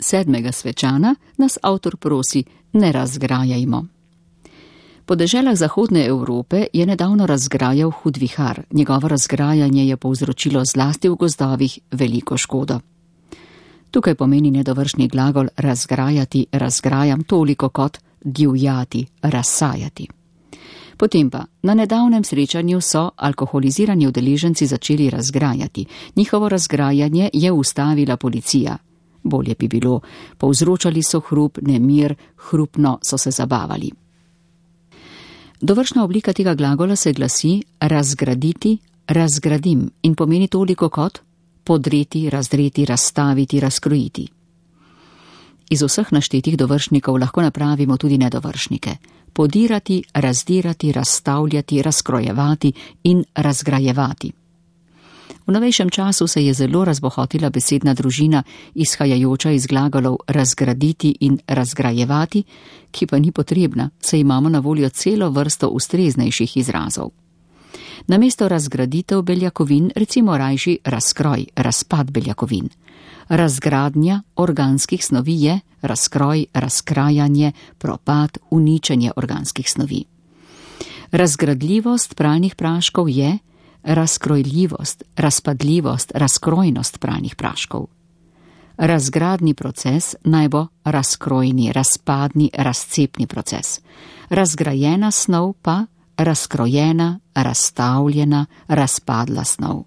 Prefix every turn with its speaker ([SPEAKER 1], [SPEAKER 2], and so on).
[SPEAKER 1] 7. svečana nas avtor prosi, ne razgrajajmo. Po deželah zahodne Evrope je nedavno razgrajal hud vihar. Njegovo razgrajanje je povzročilo zlasti v gozdovih veliko škodo. Tukaj pomeni nedovršni glagol razgrajati, razgrajam toliko kot divjati, razsajati. Potem pa, na nedavnem srečanju so alkoholizirani udeleženci začeli razgrajati. Njihovo razgrajanje je ustavila policija. Bolje bi bilo, povzročali so hrup, nemir, hrupno so se zabavali. Dovršna oblika tega glagola se glasi razgraditi, razgradim in pomeni toliko kot podreti, razdreti, razstaviti, razkrojiti. Iz vseh naštetih dovršnikov lahko napravimo tudi nedovršnike. Podirati, razdirati, razstavljati, razkrojevati in razgrajevati. V novejšem času se je zelo razbohotila besedna družina, izhajajoča iz glagolov razgraditi in razgrajevati, ki pa ni potrebna, saj imamo na voljo celo vrsto ustreznejših izrazov. Namesto razgraditev beljakovin recimo rajši razkroj, razpad beljakovin. Razgradnja organskih snovi je razkroj, razkrajanje, propad, uničenje organskih snovi. Razgradljivost pralnih praškov je razkrojljivost, razpadljivost, razkrojnost pralnih praškov. Razgradni proces naj bo razkrojni, razpadni, razcepni proces. Razgrajena snov pa razkrojena, razstavljena, razpadla snov.